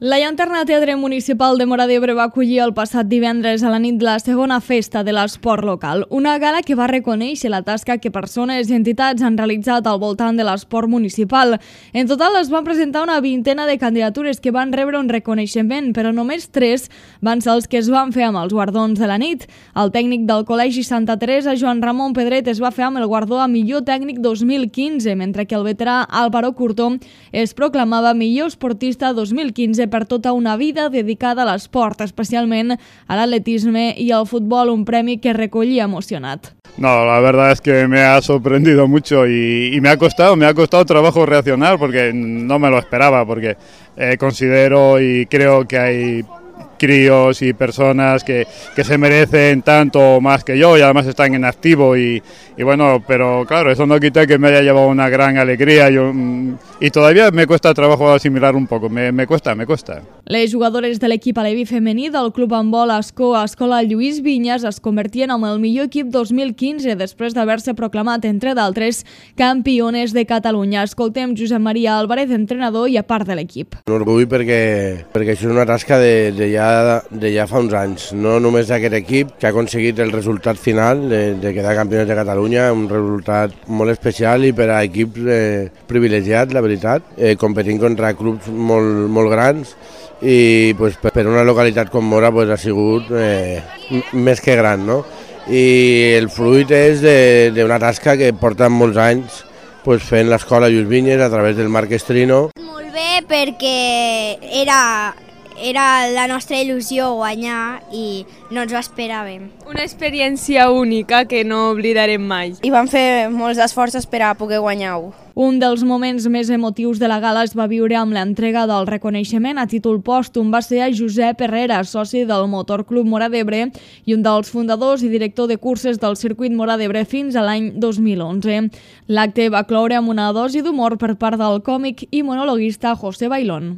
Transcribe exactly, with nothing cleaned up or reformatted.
La Llanterna Teatre Municipal de Móra d'Ebre va acollir el passat divendres a la nit la segona festa de l'esport local, una gala que va reconèixer la tasca que persones i entitats han realitzat al voltant de l'esport municipal. En total es van presentar una vintena de candidatures que van rebre un reconeixement, però només tres van ser els que es van fer amb els guardons de la nit. El tècnic del Col·legi Santa Teresa, Joan Ramon Pedret, es va fer amb el guardó a millor tècnic dos mil quinze, mentre que el veterà Álvaro Curtó es proclamava millor esportista dos mil quinze per tota una vida dedicada a l'esport, especialment a l'atletisme i al futbol, un premi que recollia emocionat. No, la verdad es que me ha sorprendido mucho y, y me ha costado, me ha costado trabajo reaccionar porque no me lo esperaba, porque eh, considero y creo que hay críos y personas que, que se merecen tanto más que yo y además están en activo y, y bueno, pero claro, eso no quita que me haya llevado una gran alegría yo, y todavía me cuesta trabajo asimilar un poco, me, me cuesta, me cuesta. Les jugadores de l'equip aleví femení del Club Handbol Ascó Escola Lluís Vinyes es convertien en el millor equip dos mil quinze després d'haver-se proclamat, entre d'altres, campiones de Catalunya. Escoltem Josep Maria Álvarez, entrenador i a part de l'equip. Un orgull perquè, perquè això és una tasca de, de, ja, de ja fa uns anys, no només d'aquest equip que ha aconseguit el resultat final de, de quedar campiones de Catalunya, un resultat molt especial i per a equips eh, privilegiats, la veritat, eh, competint contra clubs molt, molt grans i pues, per una localitat com Móra pues, ha sigut eh, més que gran, no? I el fruit és d'una tasca que porten molts anys pues, fent l'escola Lluís Vinyes a través del Marc Estrino. Molt bé perquè era, era la nostra il·lusió guanyar i no ens ho esperàvem. Una experiència única que no oblidarem mai. I vam fer molts esforços per a poder guanyar-ho. Un dels moments més emotius de la gala es va viure amb l'entrega del reconeixement a títol pòstum. Va ser a Josep Herrera, soci del Motor Club Móra d'Ebre i un dels fundadors i director de curses del circuit Móra d'Ebre fins a l'any dos mil onze. L'acte va cloure amb una dosi d'humor per part del còmic i monologuista José Bailón.